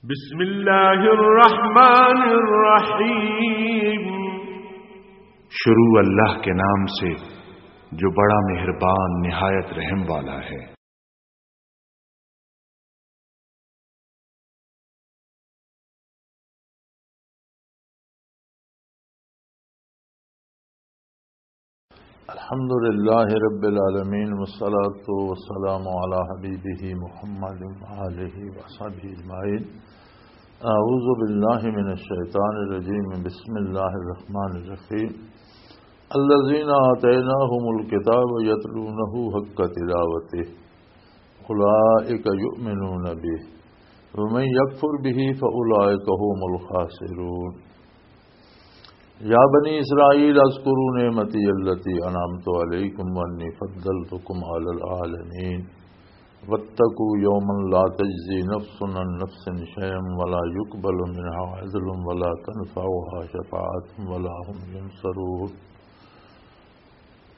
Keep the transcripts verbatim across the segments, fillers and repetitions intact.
بسم اللہ الرحمن الرحیم۔ شروع اللہ کے نام سے جو بڑا مہربان نہایت رحم والا ہے۔ الحمد لله رب العالمين، والصلاة والسلام على حبيبه محمد وآله وصحبه أجمعين. أعوذ بالله من الشيطان الرجيم. بسم الله الرحمن الرحيم. الذين آتيناهم الكتاب يتلونه حق تلاوته أولئك يؤمنون به ومن يكفر به فأولئك هم الخاسرون. يا بني إسرائيل اذكروا نعمتي التي أنعمت عليكم وأني فضلتكم على العالمين واتقوا يوما لا تجزي نفس عن نفس شيئا ولا يقبل منها عدل ولا تنفعها شفاعة ولا هم ينصرون.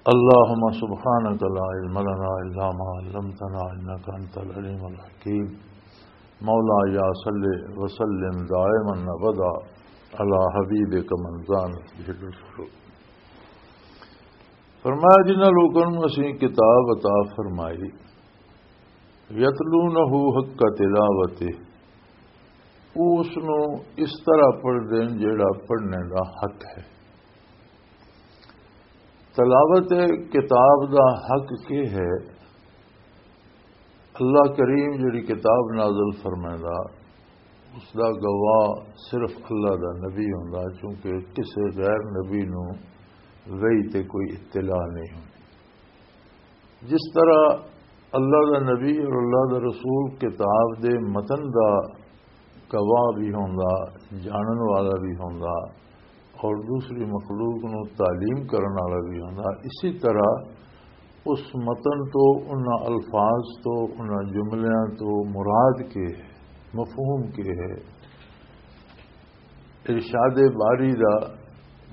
اللهم سبحانك لا علم لنا إلا ما علمتنا إنك أنت العليم الحكيم. مولاي صل وسلم دائما أبدا على حبيبك من زانت به الرسل. فرمایا، جنہاں لوکاں نوں اسیں کتاب عطا فرمائی، یتلونہ حق تلاوتہ، وہ اس نوں اس طرح پڑھ دین جیڑا پڑھنے دا حق ہے۔ تلاوت کتاب دا حق کی ہے؟ اللہ کریم جڑی کتاب نازل فرمائندا، اس دا گواہ صرف اللہ دا نبی ہوندا، کیونکہ کسے غیر نبی نوں وحی تے کوئی اطلاع نہیں ہوندی۔ جس طرح اللہ دا نبی اور اللہ دا رسول کتاب دے متن دا گواہ بھی ہوندا، جانن والا بھی ہوندا اور دوسری مخلوق نوں تعلیم کرن والا بھی ہوندا، اسی طرح اس متن تو، انہاں الفاظ تو، انہاں جملیاں تو مراد کے ہے، مفہوم کے ہے، ارشاد باری دا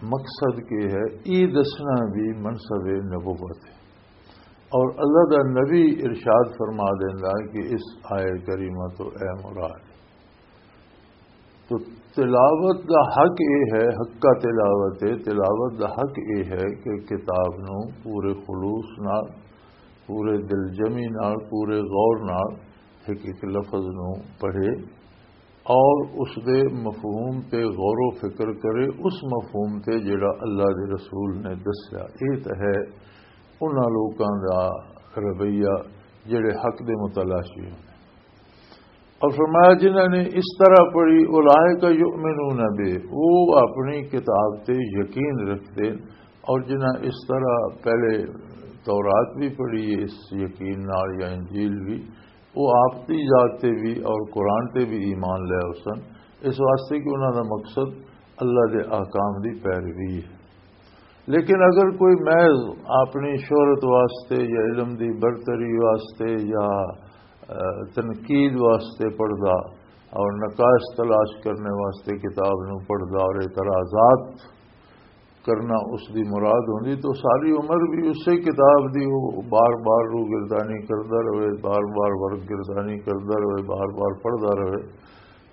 مقصد کے ہے، یہ دسنا بھی منصب نبوت ہے۔ اور اللہ دا نبی ارشاد فرما دیندا کہ اس آیت کریمہ تو اے مراد۔ تو تلاوت دا حق اے ہے، حق کا تلاوت ہے، تلاوت دا حق اے ہے کہ کتاب نو پورے خلوص نال، پورے دلجمی نال، پورے غور نال ایک ایک لفظ نو پڑھے اور اس دے مفہوم تے غور و فکر کرے، اس مفہوم تے جڑا اللہ دے رسول نے دسیا۔ اے تے ہے انہاں لوکاں دا رویہ جڑے حق دے متلاشی ہوندے۔ اور فرمایا، جنہاں نے اس طرح پڑھی، اولئک یؤمنون بہ، وہ اپنی کتاب تے یقین رکھتے، اور جنہاں اس طرح پہلے تورات بھی پڑھی، اس یقین نال یا انجیل بھی، وہ آپ دی ذات تے بھی اور قرآن تے بھی ایمان لے آؤ سن، اس واسطے کہ انہاں دا مقصد اللہ دے احکام دی پیروی ہے۔ لیکن اگر کوئی محض اپنی شہرت واسطے یا علم دی برتری واسطے یا، اہ، تنقید واسطے پڑھدا اور نقائص تلاش کرنے واسطے کتاب نو پڑھدا اور اعتراضات کرنا اس دی مراد ہوندی تو ساری عمر بھی اسے کتاب دی وہ بار بار روگردانی کردا رہے، بار بار ورق گردانی کردا رہے، بار بار پڑھدا رہے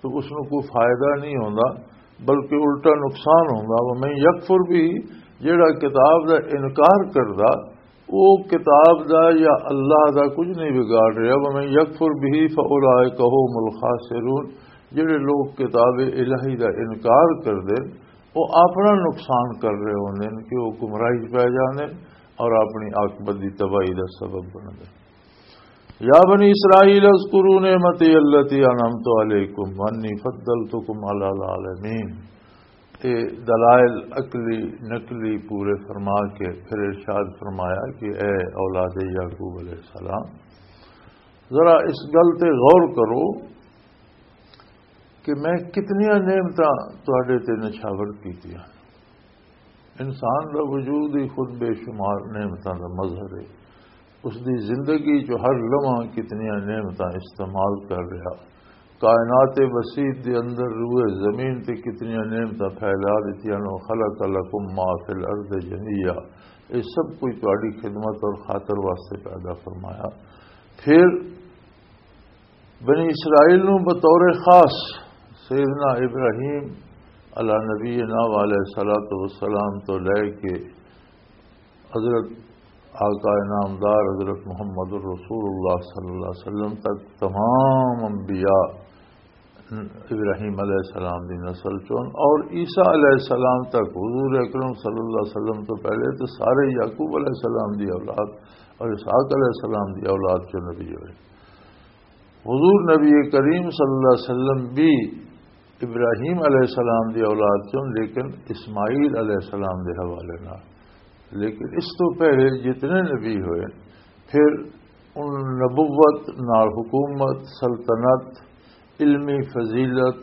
تو اس نو کوئی فائدہ نہیں ہوندا، بلکہ الٹا نقصان ہوندا۔ ومن یکفر بہ، جیڑا کتاب دا انکار کردا، وہ کتاب دا یا اللہ دا کچھ نہیں بگاڑ رہا۔ ومن یکفر بہ فاولئک هم الخاسرون، جڑے لوگ کتاب الہی دا انکار کر دے، وہ اپنا نقصان کر رہے ہوندے نے کہ وہ گمراہی پہ جاندے نے اور اپنی عاقبت دی تباہی دا سبب بن دے۔ یا بنی اسرائیل اذکروا نعمتی التی انعمت علیکم وانی فضلتکم علی العالمین۔ یہ دلائل عقلی نقلی پورے فرما کے پھر ارشاد فرمایا کہ اے اولاد یعقوب علیہ السلام، ذرا اس گل تے غور کرو کہ میں کتنیاں نعمتاں تواڈے تے نچھاور کیتیاں۔ انسان دا وجود ہی خود بے شمار نعمتاں دا مظہر ہے۔ اس دی زندگی چ ہر لمحہ کتنیاں نعمتاں استعمال کر رہا۔ کائنات وسیع دے اندر روئے زمین تے کتنیاں نعمتاں پھیلا دتیاں نو۔ خلق لکم ما فی الارض جميعا، یہ سب کچھ تہاڈی خدمت اور خاطر واسطے پیدا فرمایا۔ پھر بنی اسرائیل نو بطور خاص سیدنا ابراہیم علی نبینا علیہ الصلوۃ والسلام تو لے کے حضرت آقا انعامدار حضرت محمد الرسول اللہ صلی اللہ علیہ وسلم تک تمام انبیاء ابراہیم علیہ السلام دی نسل چون، اور عیسیٰ علیہ السلام تک حضور اکرم صلی اللہ علیہ وسلم تو پہلے تو سارے یعقوب علیہ السلام دی اولاد اور اسحاق علیہ السلام دی اولاد چون نبی ہوئے۔ حضور نبی کریم صلی اللہ علیہ وسلم بھی ابراہیم علیہ السلام دی اولاد چون، لیکن اسماعیل علیہ السلام دے حوالے نال۔ لیکن اس تو پہلے جتنے نبی ہوئے، پھر ان نبوت نال حکومت، سلطنت، علمی فضیلت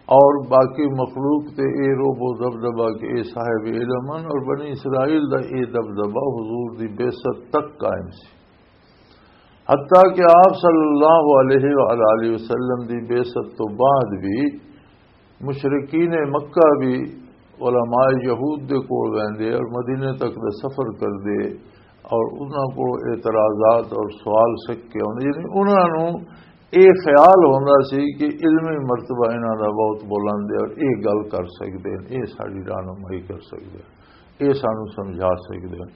اور باقی مخلوق تے اے روب و دبدبہ کہ اے صاحب علم ہن، اور بنی اسرائیل دا اے دبدبہ حضور دی بعثت تک قائم سی۔ حتیٰ کہ آپ صلی اللہ علیہ وآلہ وسلم دی بعثت تو بعد بھی مشرکین مکہ بھی علماء یہود دے کول ویندے اور مدینے تک دا سفر کردے اور انہاں کول اعتراضات اور سوال سک کے آندے، یعنی انہاں نوں اے خیال ہوندا سی کہ علمی مرتبہ انہاں دا بہت بلند ہے اور اے گل کر سکدے ہیں، اے ساڈی رہنمائی کر سکدے ہیں، اے سانوں سمجھا سکدے ہیں۔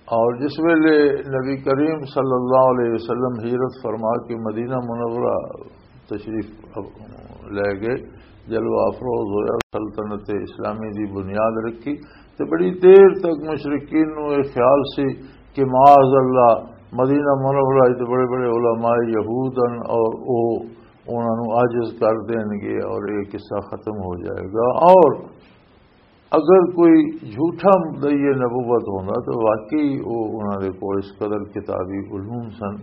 اور جس ویلے نبی کریم صلی اللہ علیہ وسلم ہجرت فرما کے مدینہ منورہ تشریف لے گئے، جلوہ افروز ہویا، سلطنت اسلامی دی بنیاد رکھی، تے بڑی دیر تک مشرکین نوں یہ خیال سی کہ معاذ اللہ مدینہ منورہ وچ بڑے بڑے علماء یہود ہن اور او انہاں نوں عاجز کر دین گے اور یہ قصہ ختم ہو جائے گا۔ اور اگر کوئی جھوٹا مدعی نبوت ہوندا تو واقعی وہ انہاں دے کول اس قدر کتابی علوم سن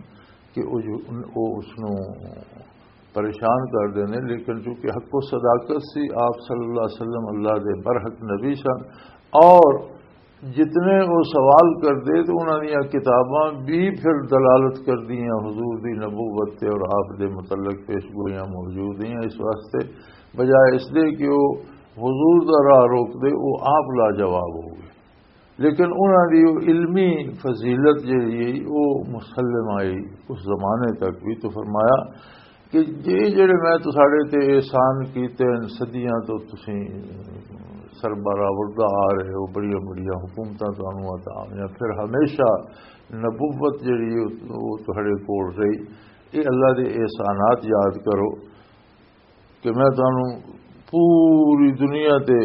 کہ وہ جو-، وہ اس نوں پریشان کر دینے، لیکن چونکہ حق و صداقت سی، آپ صلی اللہ علیہ وسلم اللہ دے برحق نبی سن، اور جتنے وہ سوال کردے تو انہاں دیاں کتاباں بھی پھر دلالت کردیاں حضور دی نبوت تے اور آپ دے متعلق پیش گوئیاں موجود ہیں۔ اس واسطے بجائے اس دے کہ وہ حضور دا راہ روک دے، وہ آپ لاجواب ہو گئے۔ لیکن انہاں دی وہ علمی فضیلت جڑی ہے، وہ مسلم آئی اس زمانے تک بھی۔ تو فرمایا کہ جے جڑے میں تساڈے تے احسان کیتے ہیں، صدیاں تو تسی سربراہ وردا آ رہے ہو، بڑیاں بڑیاں حکومتاں تانوں عطا ہوئیاں، پھر ہمیشہ نبوت جڑی ہے، وہ تہاڈے کول رہی۔ یہ اللہ دے احسانات یاد کرو کہ میں تانوں پوری دنیا تے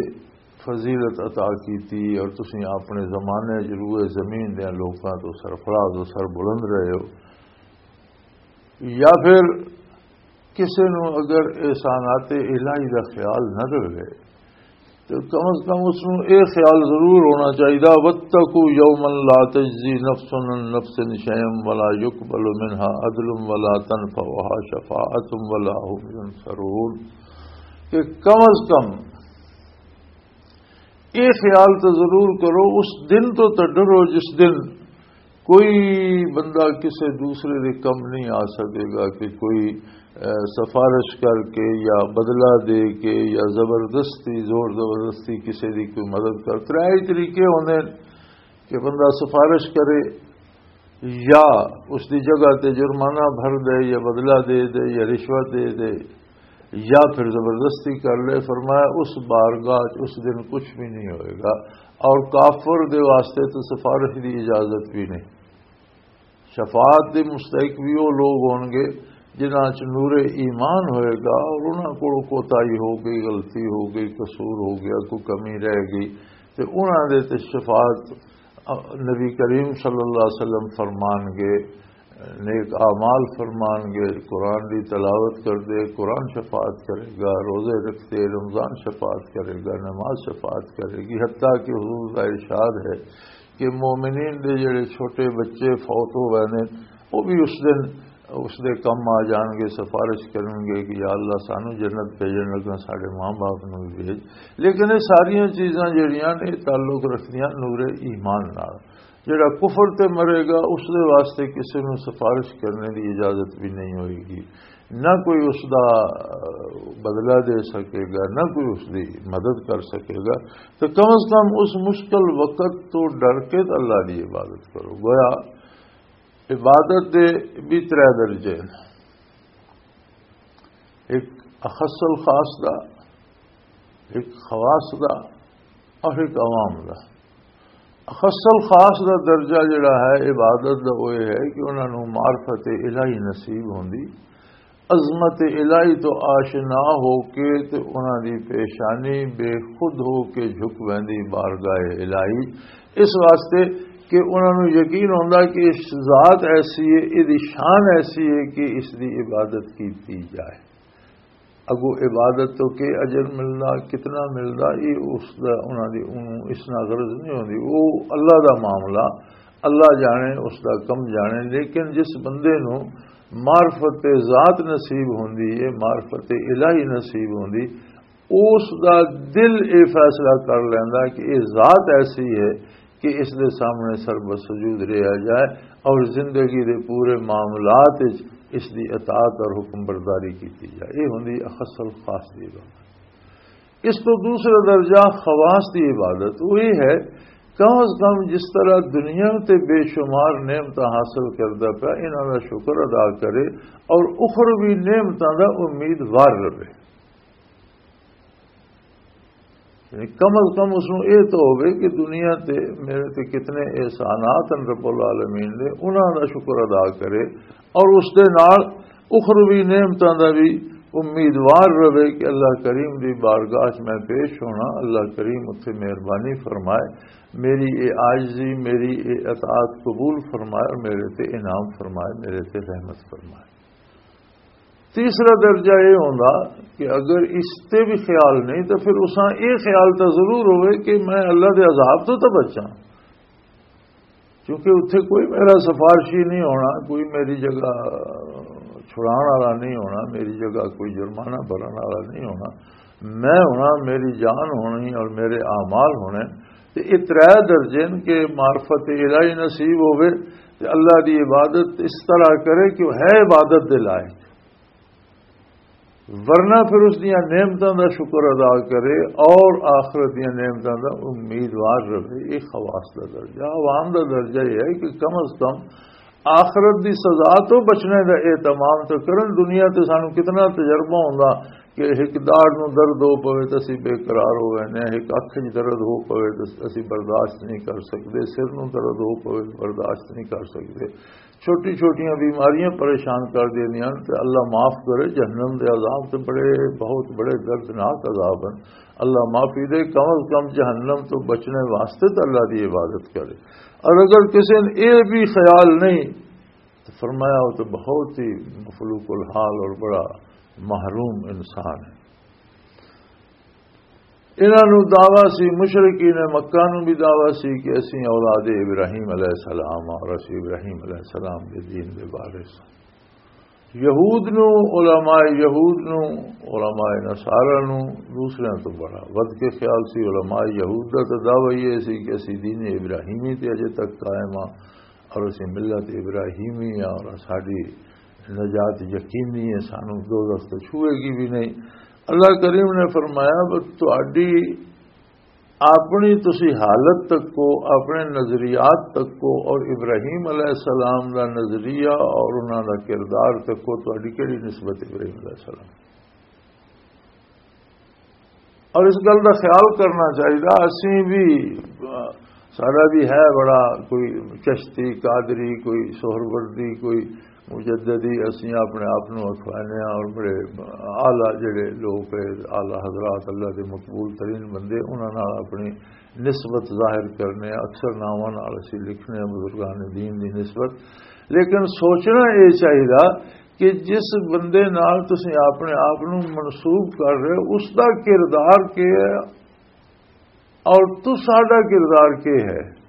فضیلت عطا کیتی اور تسی اپنے زمانے وچ روئے زمین دے لوکاں تو سرفراز و سر بلند رہے ہو۔ یا پھر کسے نوں اگر احسانات الہی دا خیال نہ رہے تو کم از کم اس نوں اے خیال ضرور ہونا چاہیدا، "واتقوا یوما لا تجزی نفس عن نفس شیئا ولا یقبل منها عدل ولا تنفعها شفاعت ولا هم ینصرون"، کہ کم از کم یہ خیال تو ضرور کرو، اس دن تو، تو ڈرو جس دن کوئی بندہ کسی دوسرے دے کم نہیں آ سکے گا کہ کوئی، اے، سفارش کر کے یا بدلہ دے کے یا زبردستی، زور زبردستی کسی دی کوئی مدد کر۔ ترے ہی طریقے ہوندے نے کہ بندہ سفارش کرے یا اس دی جگہ تے جرمانہ بھر دے یا بدلہ دے دے یا رشوت دے دے یا پھر زبردستی کر لے۔ فرمایا، اس بارگاہ چ اس دن کچھ بھی نہیں ہوئے گا، اور کافر دے واسطے تو سفارش دی اجازت بھی نہیں۔ شفاعت دے مستحق بھی وہ لوگ ہون گے جنہاں چ نور ایمان ہوئے گا اور انہاں کولوں کوتاہی ہو گئی، غلطی ہو گئی، قصور ہو گیا، کوئی کمی رہ گئی، تے انہاں دے تے شفاعت نبی کریم صلی اللہ علیہ وسلم فرمان گے، نیک اعمال فرمان گے، قرآن دی تلاوت کر دے، قرآن شفاعت کرے گا، روزے رکھتے رمضان شفاعت کرے گا، نماز شفاعت کرے گی، حتیٰ کہ حضور کا ارشاد ہے کہ مومنین دے جڑے چھوٹے بچے فوت ہو گئے نے، وہ بھی اس دن اس دے کم آ جان گے، سفارش کرن گے کہ یا اللہ سانو جنت بھیجن لگا، ساڈے ماں باپ نو بھی بھیج۔ لیکن یہ ساریاں چیزاں جڑیاں نے تعلق رکھدیاں نور ایمان نال۔ جڑا کفر تے مرے گا، اس دے واسطے کسی نو سفارش کرنے دی اجازت بھی نہیں ہوئے گی، نہ کوئی اس دا بدلہ دے سکے گا، نہ کوئی اس دی مدد کر سکے گا۔ تو کم از کم اس مشکل وقت تو ڈر کے تے اللہ دی عبادت کرو۔ گویا عبادت دے بھی ترے درجے نے۔ ایک اخص الخاص دا، ایک خواص دا اور ایک عوام دا۔ اخص الخاص دا درجہ جڑا ہے عبادت دا، وہ یہ ہے کہ انہاں نوں معرفت الہی نصیب ہوندی، عظمت الہی تو آشنا ہو کے تے انہاں دی پیشانی بے خود ہو کے جھک ویندی بارگاہ الہی، اس واسطے کہ انہاں نوں یقین ہوندا کہ اس ذات ایسی ہے، اس دی شان ایسی ہے کہ اس دی عبادت کیتی جائے۔ اگو عبادت تو کہ اجر ملدا، کتنا ملدا، یہ اس دا، انہاں دی، انہوں اس نال غرض نہیں ہوندی۔ وہ اللہ دا معاملہ، اللہ جانے، اس دا کم جانے۔ لیکن جس بندے نوں معرفت ذات نصیب ہوندی ہے، معرفت الہی نصیب ہوندی، اس دا دل یہ فیصلہ کر لیندا کہ یہ ذات ایسی ہے کہ اس دے سامنے سر بسجود رہا جائے اور زندگی دے پورے معاملات وچ اس دی اطاعت اور حکم برداری کیتی جائے۔ یہ ہوندی اخص الخاص دی عبادت۔ اس تو دوسرا درجہ خواص دی عبادت وہی ہے، کم از کم جس طرح دنیا تے بے شمار نعمتاں حاصل کردا پیا، انہاں دا شکر ادا کرے اور اخروی نعمتاں دا امیدوار رہے۔ یعنی کم از کم اس نوں اے تو ہووے کہ دنیا تے میرے تے کتنے احسانات ہیں رب العالمین دے، انہاں دا شکر ادا کرے اور اس دے نال اخروی نعمتاں دا بھی امیدوار رہے کہ اللہ کریم دی بارگاہ 'چ میں پیش ہونا، اللہ کریم اتھے مہربانی فرمائے، میری اے عاجزی، میری اے اطاعت قبول فرمائے اور میرے تے انعام فرمائے، میرے تے رحمت فرمائے۔ تیسرا درجہ یہ ہوندا کہ اگر اس تے بھی خیال نہیں تو پھر اساں یہ خیال تو ضرور ہوئے کہ میں اللہ دے عذاب تو تو بچاں، کیونکہ اتھے کوئی میرا سفارشی نہیں ہونا، کوئی میری جگہ چھڑان والا نہیں ہونا، میری جگہ کوئی جرمانہ بھرن والا نہیں ہونا۔ میں ہونا، میری جان ہونی اور میرے اعمال ہونے۔ تے یہ ترے درجے نے کہ معرفت الہی نصیب ہوئے تے اللہ دی عبادت اس طرح کرے کہ وہ ہے عبادت دے لائق، ورنہ پھر اس دیاں نعمتاں دا شکر ادا کرے اور آخرت دیاں نعمتاں دا امیدوار رہے۔ یہ خواص دا درجہ، عوام دا درجہ یہ ہے کہ کم از کم آخرت دی سزا تو بچنے دا اہتمام تو کرن۔ دنیا تے سانو کتنا تجربہ ہوندا کہ ایک داڑ نو درد ہو پوے تے اسی بے قرار ہو وینے، ایک اکھ وچ درد ہو پوے تے اسی برداشت نہیں کر سکدے، سر نو درد ہو پوے تے برداشت نہیں کر سکدے، چھوٹی چھوٹیاں بیماریاں پریشان کر دیندیاں ہن۔ تے اللہ معاف کرے، جہنم دے عذاب تے بڑے، بہت بڑے دردناک عذاب ہیں۔ اللہ معافی دے، کم از کم جہنم تو بچنے واسطے تے اللہ دی عبادت کرے۔ اور اگر کسی نے یہ بھی خیال نہیں تو فرمایا، وہ تو بہت ہی مفلوق الحال اور بڑا محروم انسان ہے۔ انہاں نوں دعویٰ سی، مشرکین مکہ نوں بھی دعویٰ سی کہ اسی اولاد ابراہیم علیہ السلام اور اسی ابراہیم علیہ السلام دے دین دے وارث ہاں۔ یہود نوں، علماء یہود نوں، علماء نصارہ نوں دوسریاں تو بڑا ود کے خیال سی۔ علماء یہود دا تو دعویٰ یہ سی کہ اسی دین ابراہیمی تے اجے تک قائم ہاں اور اسی ملت ابراہیمی ہاں اور ساڈی نجات یقینی ہے، سانوں دوزخ تو چھوئے گی بھی نہیں۔ اللہ کریم نے فرمایا، "بس تہاڈی اپنی تسی حالت تک کو، اپنے نظریات تک کو، اور ابراہیم علیہ السلام دا نظریہ اور انہاں دا کردار تک کو، تہاڈی کیڑی نسبت ابراہیم علیہ السلام؟" اور اس گل دا خیال کرنا چاہیے، اسی بھی، آ، سارا بھی ہے بڑا کوئی چشتی، قادری، کوئی سہروردی، کوئی مجددی، اسی اپنے آپ نوں اکھوانے ہاں اور بڑے اعلیٰ جڑے لوگ ہیں، اعلیٰ حضرات، اللہ دے مقبول ترین بندے، انہاں نال اپنی نسبت ظاہر کرنے ہاں، اکثر ناواں نال اسی لکھنے ہاں بزرگان دین دی نسبت۔ لیکن سوچنا یہ چاہیے کہ جس بندے نال تسی اپنے آپ نوں منسوب کر رہے ہو، اس دا کردار کی ہے اور تساڈا کردار کی ہے؟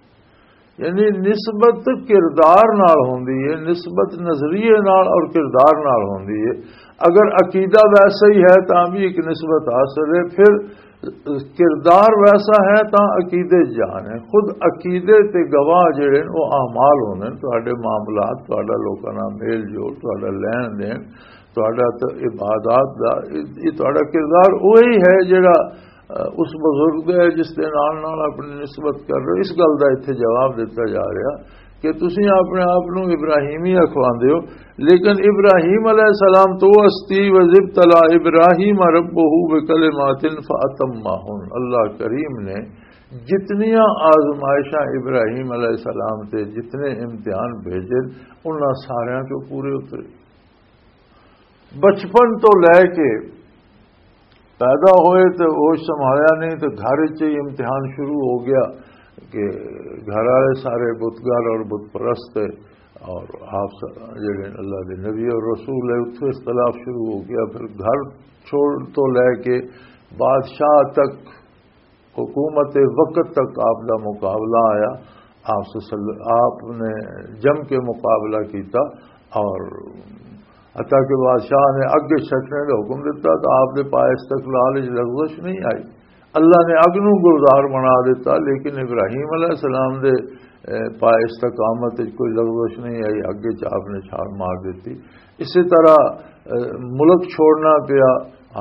یعنی نسبت کردار نال ہوندی ہے، نسبت نظریے نال اور کردار نال ہوندی ہے۔ اگر عقیدہ ویسا ہی ہے تاں بھی ایک نسبت حاصل ہے، پھر کردار ویسا ہے تاں عقیدے جان ہے۔ خود عقیدے تے گواہ جڑے نے، وہ اعمال ہوندے نے، تہاڈے معاملات، تہاڈا لوکاں نال میل جول، تہاڈا لین دین، تہاڈا ت-، عبادات دا، یہ تہاڈا کردار وہی ہے جڑا، اہ، اس بزرگ دا ہے جس دے نال نال اپنی نسبت کر رہے ہو۔ اس گل دا اتھے جواب دتا جا رہا کہ تسی اپنے آپ نوں ابراہیمی اکھواندے ہو، لیکن ابراہیم علیہ السلام تو ہستی، وَإِذِ ابْتَلَىٰ إِبْرَاهِيمَ رَبُّهُ بِكَلِمَاتٍ فَأَتَمَّهُنَّ۔ اللہ کریم نے جتنیاں آزمائشاں ابراہیم علیہ السلام تے، جتنے امتحان بھیجے، انہاں ساریاں چوں پورے اترے۔ بچپن تو لے کے پیدا ہوئے تے ہوش سنبھالیا نہیں، تے گھر وچ ہی امتحان شروع ہو گیا کہ گھر والے سارے بتگر اور بت پرست تھے، اور آپ س-، جڑے اللہ دے نبی اور رسول ہے، اتھے اختلاف شروع ہو گیا۔ پھر گھر چھوڑ تو لے کے بادشاہ تک، حکومت وقت تک آپ دا مقابلہ آیا۔ آپ صلی-، آپ نے جم کے مقابلہ کیتا، اور حتیٰ کہ بادشاہ نے اگ سٹنے دا حکم دیتا تو آپ دے پائے استقلال وچ لغزش نہیں آئی۔ اللہ نے اگ نوں گلزار بنا دیتا، لیکن ابراہیم علیہ السلام دے، اے، پائے استقامت وچ کوئی لغزش نہیں آئی۔ اگ وچ آپ نے چھال مار دیتی۔ اسی طرح، اے، ملک چھوڑنا پیا،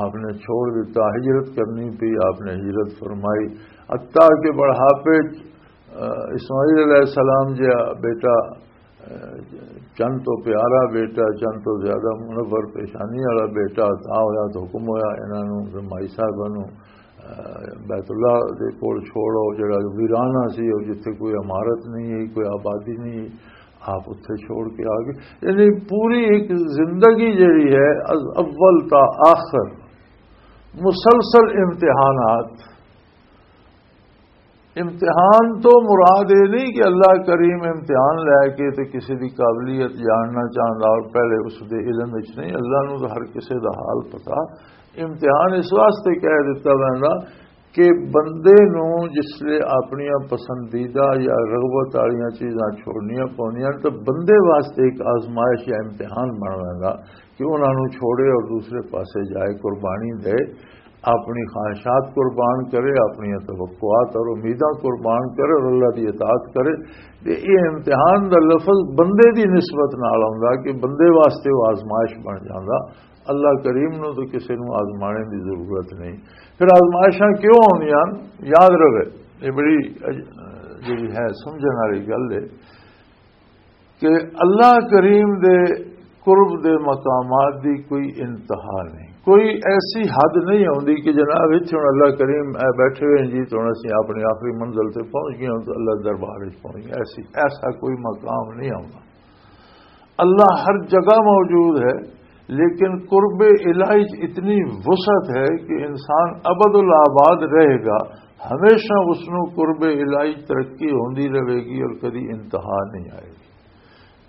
آپ نے چھوڑ دیتا، ہجرت کرنی پئی، آپ نے ہجرت فرمائی۔ حتیٰ کہ بڑھاپے وچ، اے، اسماعیل علیہ السلام جہا بیٹا، چند تو پیارا بیٹا، چند تو زیادہ منور پیشانی والا بیٹا عطا ہویا، تو حکم ہویا انہاں نوں کہ مائی صاحبہ نوں، اے، بیت اللہ دے کول چھوڑو، جڑا ویرانہ سی اور جتھے کوئی عمارت نہیں ہے، کوئی آبادی نہیں ہے، آپ اتھے چھوڑ کے آ گئے۔ یعنی پوری ایک زندگی جڑی ہے، از اول تا آخر مسلسل امتحانات۔ امتحان تو مراد یہ نہیں کہ اللہ کریم امتحان لے کے تے کسی دی قابلیت جاننا چاہندا اور پہلے اس دے علم وچ نہیں، اللہ نوں تو ہر کسی دا حال پتا۔ امتحان اس واسطے کہہ دتا ویندا کہ بندے نوں جس لے اپنیاں پسندیدہ یا رغبت والیاں چیزاں چھوڑنیاں پوندیاں، تو بندے واسطے ایک آزمائش یا امتحان بن ویندا کہ انہاں نوں چھوڑے اور دوسرے پاسے جائے، قربانی دے، اپنی خواہشات قربان کرے، اپنی توقعات اور امیداں قربان کرے اور اللہ دی اطاعت کرے۔ تے یہ امتحان دا لفظ بندے دی نسبت نال آوندا کہ بندے واسطے وہ آزمائش بن جاندا۔ اللہ کریم نوں تو کسے نوں آزمانے دی ضرورت نہیں۔ پھر آزمائشاں کیوں آوندیاں؟ یاد رہے، یہ بڑی اج-، جڑی ہے سمجھن والی گل ہے۔ کہ اللہ کریم دے قرب دے مقامات دی کوئی انتہا نہیں، کوئی ایسی حد نہیں ہوندی کہ جناب، اتھے ہن اللہ کریم اے بیٹھے ہوئے ہیں جی، تو ہن اسی اپنی آخری منزل تے پہنچ گئے ہوں، تو اللہ دربار وچ پہنچ گئے۔ ایسی، ایسا کوئی مقام نہیں ہوندا۔ اللہ ہر جگہ موجود ہے، لیکن قرب الہی چ اتنی وسعت ہے کہ انسان ابد الآباد رہے گا، ہمیشہ اس نوں قرب الہی ترقی ہوندی رہے گی اور کدی انتہا نہیں آئے گی۔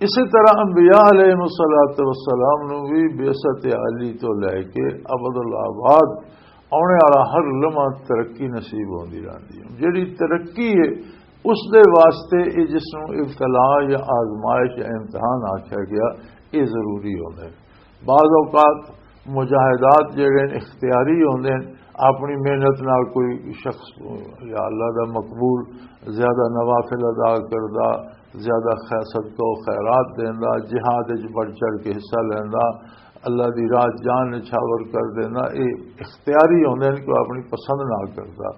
اسی طرح انبیاء علیہ الصلوۃ والسلام نوں بھی بعثت عالی تو لے کے ابد الآباد آنے والا ہر لمحہ ترقی نصیب ہوندی رہندی ہے۔ جڑی ترقی ہے، اس دے واسطے یہ جس نوں ابتلا یا آزمائش یا امتحان آکھیا گیا، یہ ضروری ہوندا ہے۔ بعض اوقات مجاہدات جڑے نے اختیاری ہوندے نے، اپنی محنت نال کوئی شخص یا اللہ دا مقبول زیادہ نوافل ادا کردا، زیادہ خیر، صدقہ و خیرات دیندا، جہاد وچ بڑھ چڑھ کے حصہ لیندا، اللہ دی راہ جان نچھاور کر دیندا، اے اختیاری ہوندے نے، کوئی اپنی پسند نال کردا۔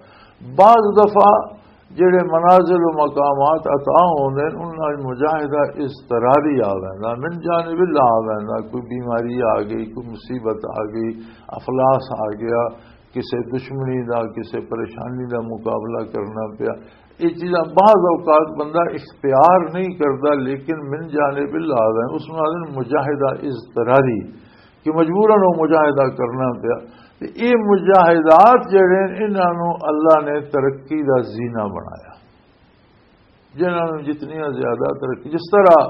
بعض دفعہ جڑے منازل و مقامات عطا ہوندے نے، انہاں وچ مجاہدہ اضطراری آ ویندا، من جانب اللہ آ ویندا، کوئی بیماری آ گئی، کوئی مصیبت آ گئی، افلاس آ گیا، کسے دشمنی دا، کسے پریشانی دا مقابلہ کرنا پیا۔ یہ چیزاں بعض اوقات بندہ اختیار نہیں کردا، لیکن من جانب اللہ آ ویندا، اس نوں آخدے نے مجاہدہ اضطراری۔ کہ مجبوراً وہ مجاہدہ کرنا پیا۔ تے یہ مجاہدات جڑے نے، انہاں نوں اللہ نے ترقی دا زینہ بنایا، جنہاں نوں جتنیاں زیادہ ترقی، جس طرح،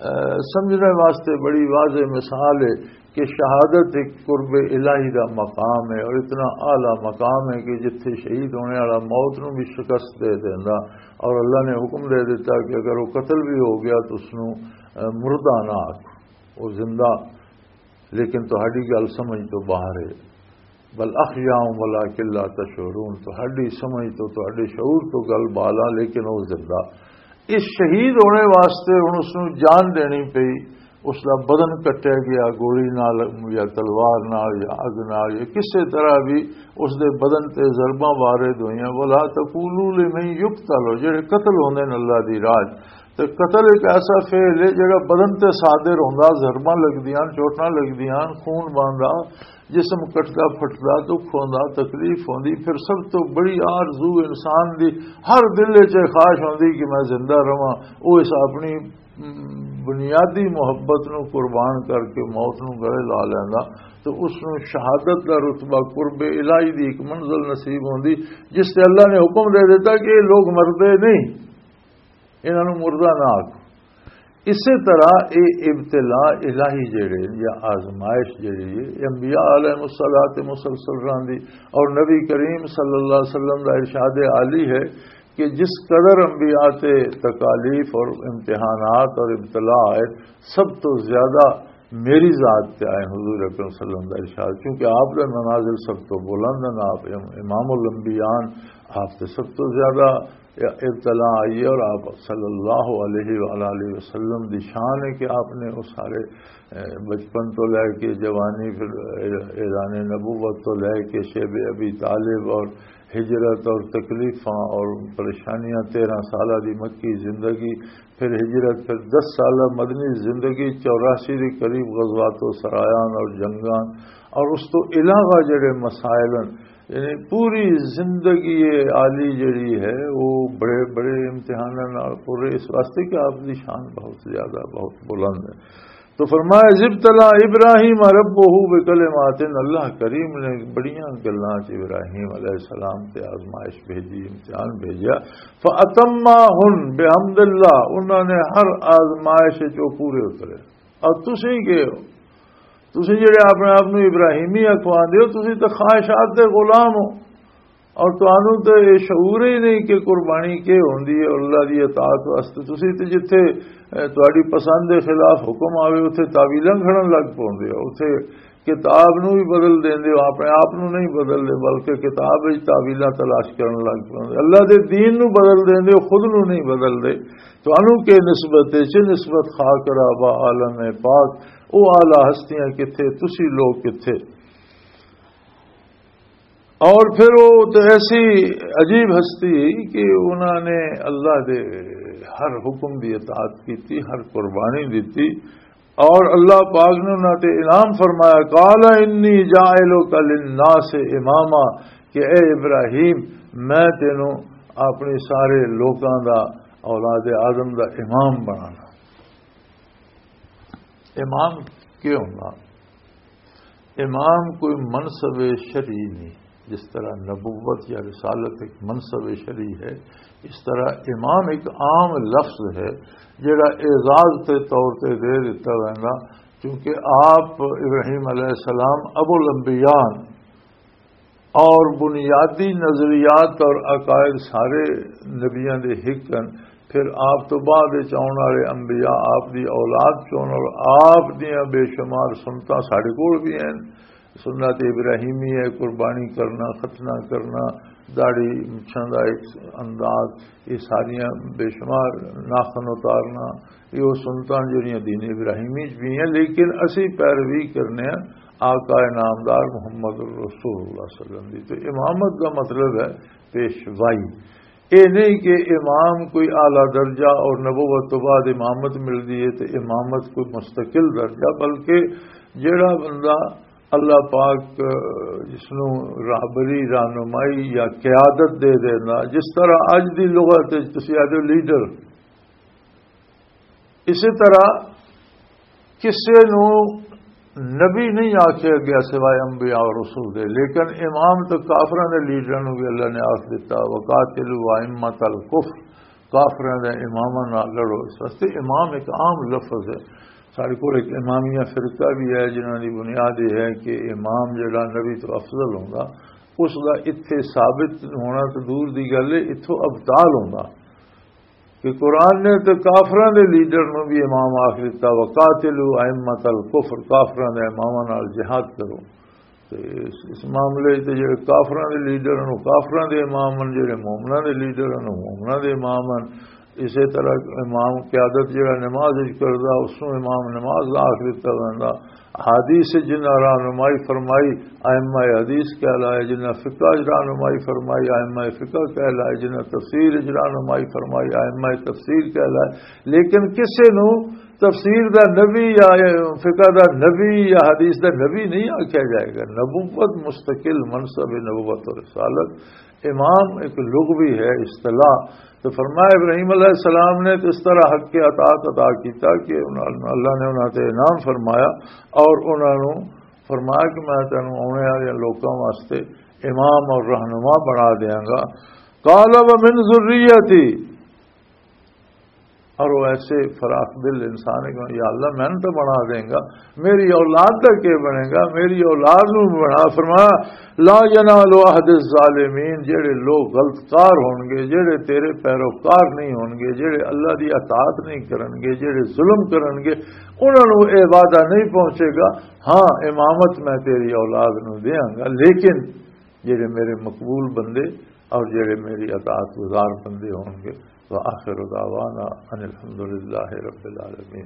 اے، سمجھنے واسطے بڑی واضح مثال ہے کہ شہادت ایک قرب الہی دا مقام ہے اور اتنا اعلیٰ مقام ہے کہ جتھے شہید ہونے والا موت نوں بھی شکست دے دیندا اور اللہ نے حکم دے دیتا کہ اگر وہ قتل بھی ہو گیا تو اس نوں، اے، مردہ نہ آکھ، وہ زندہ۔ لیکن تہاڈی گل سمجھ تو باہر ہے۔ بل احیاء ولکن لا تشعرون، تہاڈی سمجھ تو، تہاڈے شعور تو گل بالا، لیکن وہ زندہ۔ اس شہید ہونے واسطے ہن اس نوں جان دینی پئی، اس دا بدن کٹیا گیا گولی نال یا تلوار نال یا اگ نال یا کسے طرح بھی اس دے بدن تے ضرباں وارد ہوئیاں۔ ولا تقولوا لمن یقتل، جڑے قتل ہوندے نے اللہ دی راہ، تے قتل ایک ایسا فعل ہے جڑا بدن تے صادر ہوندا، ضرباں لگدیاں، چوٹاں لگدیاں، خون بہندا، جسم کٹدا پھٹدا، دکھ ہوندا، تکلیف ہوندی۔ پھر سب تو بڑی آرزو انسان دی ہر دل وچ یہ خواہش ہوندی کہ میں زندہ رہواں۔ وہ اس اپنی، م، بنیادی محبت نو قربان کر کے، موت نو گلے لا لیندا، تو اس نو شہادت دا رتبہ، قرب الہی دی ایک منزل نصیب ہوندی، جس تے اللہ نے حکم دے دیتا کہ یہ لوگ مردے نہیں، انہاں نوں مردہ نہ آکھو۔ اسی طرح یہ ابتلا الہی جڑے یا آزمائش جڑی ہے، یہ انبیاء علیہ الصلوۃ مسلسل رہندی، اور نبی کریم صلی اللہ علیہ وسلم دا ارشاد عالی ہے کہ جس قدر انبیاء تے تکالیف اور امتحانات اور ابتلا آئے، سب تو زیادہ میری ذات تے آئے حضور اکرم صلی اللہ علیہ وسلم دا ارشاد، کیونکہ آپ دے منازل سب تو بلند ہیں، آپ امام الانبیاء ہیں، آپ تے سب تو زیادہ ابتلا آئی ہے، اور آپ صلی اللہ علیہ وآلہ وسلم دی شان ہے کہ آپ نے وہ سارے، اے، بچپن تو لے کے جوانی، پھر اعلان نبوت تو لے کے شیب ابی طالب اور ہجرت اور تکلیفاں اور پریشانیاں، تیرہ سالہ دی مکی زندگی، پھر ہجرت، پھر دس سالہ مدنی زندگی، چوراسی دے قریب غزوات و سرایان اور جنگان، اور اس تو علاوہ جڑے مسائل ہیں، یعنی پوری زندگی عالی جڑی ہے، وہ بڑے بڑے امتحاناں نال پورے، اس واسطے کہ آپ دی شان بہت زیادہ، بہت بلند ہے۔ تو فرمایا، "اذ ابتلی ابراہیم ربہ بکلمات"، اللہ کریم نے بڑیاں گلاں چ ابراہیم علیہ السلام تے آزمائش بھیجی، امتحان بھیجا۔ "فاتمہن بحمد اللہ"، انہاں نے ہر آزمائش وچ وہ پورے اترے۔ اور تسی گئے ہو، تسی جڑے اپنے آپ نو ابراہیمی اکھواندے ہو، تسی تے خواہشات دے غلام ہو۔ اور تانوں تے یہ شعور ہی نہیں کہ قربانی کی ہوندی ہے اللہ دی اطاعت واسطے۔ تسی تے جتھے، اے، تہاڈی پسند دے خلاف حکم آوے، اتھے تعویلاں گھڑن لگ پوندے ہو، اتھے کتاب نو بھی بدل دیندے ہو، اپنے آپ نو نہیں بدلدے، بلکہ کتاب وچ تعویلاں تلاش کرن لگ پوندے۔ اللہ دے دین نو بدل دیندے ہو، خود نو نہیں بدلدے۔ تانوں کی نسبت ہے، چے نسبت خاک رابا عالم پاک، او اعلیٰ ہستیاں کتھے، تسی لوگ کتھے؟ اور پھر وہ تو ایسی عجیب ہستی کہ انہوں نے اللہ دے ہر حکم دی اطاعت کی تھی، ہر قربانی دی تھی، اور اللہ پاک نے انہوں تے انعام فرمایا، "قال انی جاعلک للناس اماما"، کہ اے ابراہیم، میں تینوں اپنے سارے لوکاں دا، اولاد آدم دا امام بنانا۔ امام کیا ہونا؟ امام کوئی منصب شرعی نہیں، جس طرح نبوت یا رسالت ایک منصب شرعی ہے، اس طرح امام ایک عام لفظ ہے، جڑا اعزاز کے طور تے دے دیتا ویندا، کیونکہ آپ ابراہیم علیہ السلام ابو الانبیاء اور بنیادی نظریات اور عقائد سارے نبیاں دے ہک ہن۔ پھر آپ تو بعد وچ آؤن والے انبیاء آپ دی اولاد چون اور آپ دیاں بے شمار سنتاں ساڈے کول بھی ہیں۔ سنت ابراہیمی ہے، قربانی کرنا، ختنہ کرنا، داڑھی مچھاں دا ایک انداز، یہ ساریاں بے شمار ناخن اتارنا، یہ وہ سنتاں جڑیاں دین ابراہیمی چ بھی ہیں، لیکن اسی پیروی کرنے ہیں آقا نامدار محمد رسول اللہ صلی اللہ علیہ وسلم دی۔ تو امامت کا مطلب ہے پیشوائی۔ یہ نہیں کہ امام کوئی اعلیٰ درجہ اور نبوت تو بعد امامت ملتی ہے تو امامت کوئی مستقل درجہ، بلکہ جڑا بندہ اللہ پاک جس نو راہبری، رہنمائی یا قیادت دے دینا، جس طرح اج دی لغت وچ تسی آدھے لیڈر، اسی طرح کسے نو نبی نہیں آکھیا گیا سوائے انبیاء اور رسول دے، لیکن امام تو کافراں دے لیڈراں نو بھی اللہ نے آکھ دتا، "وقاتلوا ائمۃ الکفر"، کافراں دے اماماں نال لڑو۔ اس واسطے امام ایک عام لفظ ہے۔ ساڈے کول ایک امامیہ فرقہ بھی ہے جنہاں دی بنیاد یہ ہے کہ امام جڑا نبی تو افضل ہوندا، اس دا اتھے ثابت ہونا تو دور دی گل ہے، اتھوں ابطال ہوندا۔ کہ قرآن نے تے کافراں دے لیڈر نوں بھی امام آخ دتا، "وقاتلوا ائمۃ الکفر"، کافراں دے اماماں نال جہاد کرو۔ تے اس، اس معاملے تے جڑے کافراں دے لیڈر ہن، وہ کافراں دے امام ہن، جڑے مومناں دے لیڈر ہن، وہ مومناں دے امام ہن۔ اسی طرح امام قیادت جڑا نماز وچ کردا، اس نوں امام نماز دا آکھ دتا ویندا۔ حدیث جنہاں رہنمائی فرمائی، ائمہ حدیث کہلائے، جنہاں فقہ وچ رہنمائی فرمائی، ائمہ فقہ کہلائے، جنہاں تفسیر وچ رہنمائی فرمائی، ائمہ تفسیر کہلائے۔ لیکن کسے نوں تفسیر دا نبی یا فقہ دا نبی یا حدیث دا نبی نہیں آکھیا جائے گا۔ نبوت مستقل منصب ہے، نبوت اور رسالت۔ امام ایک لغوی ہے، اصطلاح۔ تو فرمایا، ابراہیم علیہ السلام نے تو اس طرح حق کے اطاعت ادا کیتا کہ انہاں، اللہ نے انہاں تے انعام فرمایا اور انہاں نوں فرمایا کہ میں تینوں آنے والے لوکاں واسطے امام اور رہنما بنا دیاں گا۔ قال ومن ذریتی، اور وہ ایسے فراخ دل انسان ہے کہ یا اللہ، میں تو بنا دیں گا، میری اولاد دا کی بنے گا؟ میری اولاد نو بنا۔ فرمایا، لا ینال عہد الظالمین، جڑے لوگ غلط کار ہون گے، جڑے تیرے پیروکار نہیں ہون گے، جڑے اللہ دی اطاعت نہیں کرن گے، جڑے ظلم کرن گے، انہاں نو اے وعدہ نہیں پہنچے گا۔ ہاں، امامت میں تیری اولاد نو دیاں گا، لیکن جڑے میرے مقبول بندے اور جڑے میری اطاعت گزار بندے ہون گے۔ وآخر دعوانا ان الحمدللہ رب العالمین۔